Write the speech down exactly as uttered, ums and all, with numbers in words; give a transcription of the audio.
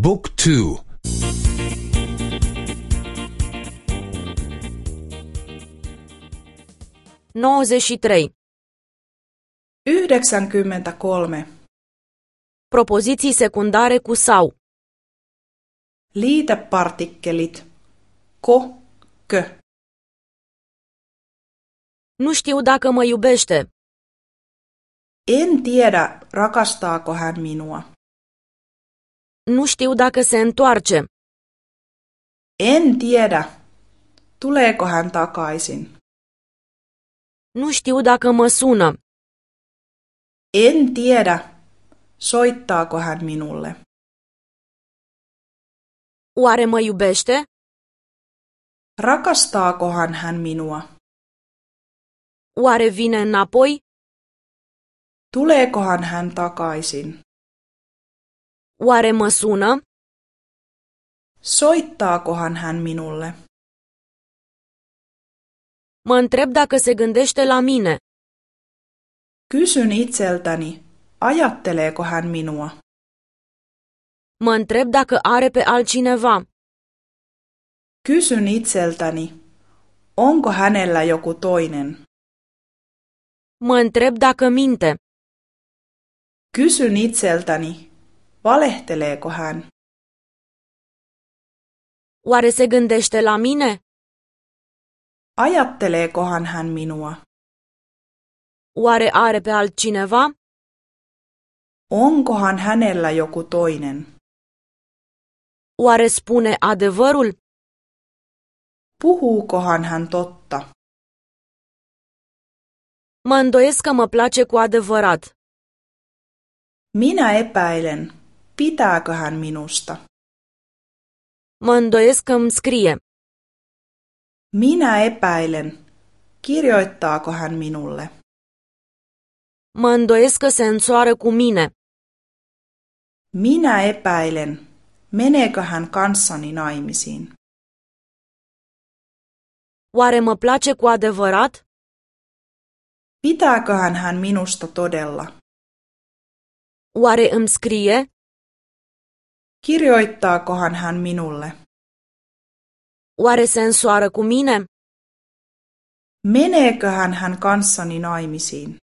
Book two. nouăzeci și trei. Yhdeksänkymmentäkolme. Propoziții secundare cu sau. Liitepartikkelit. Ko, kö. Nu știu dacă mă iubește. En tiedä, rakastaako hän minua. Nu știu dacă se întoarce. En tiedä, tuleeko hän takaisin. Nu știu dacă mă sună. En tiedä, soittaako hän minulle. Oare mă iubește? Rakastaakohan hän minua? Oare vine înapoi? Tuleekohan hän takaisin? Oare mă sună? Soittaakohan hän minulle? Mă întreb dacă se gândește la mine. Kysyn itseltäni, ajatteleeko hän minua? Mă întreb dacă are pe altcineva. Kysyn itseltäni, onko hänellä joku toinen? Mă întreb dacă minte. Kysyn itseltäni, valehteleeko hän? Oare se gândește la mine? Ajatteleekohan hän minua? Oare are pe altcineva? Onkohan hänellä joku toinen? Oare spune adevărul? Puhuukohan hän totta? Mă îndoiesc că mă place cu adevărat. Minä epäilen, pitääkö hän minusta. Mă îndoiesc că îmi scrie. Minä epäilen, kirjoittaako hän minulle. Mă îndoiesc că se însoară cu mine. Minä epäilen, meneekö hän kanssani naimisiin. Oare mă place cu adevărat? Pitääköhän hän minusta todella? Oare îmi scrie? Kirjoittaakohan hän minulle? Oare se însoară cu mine? Meneeköhän hän kanssani naimisiin?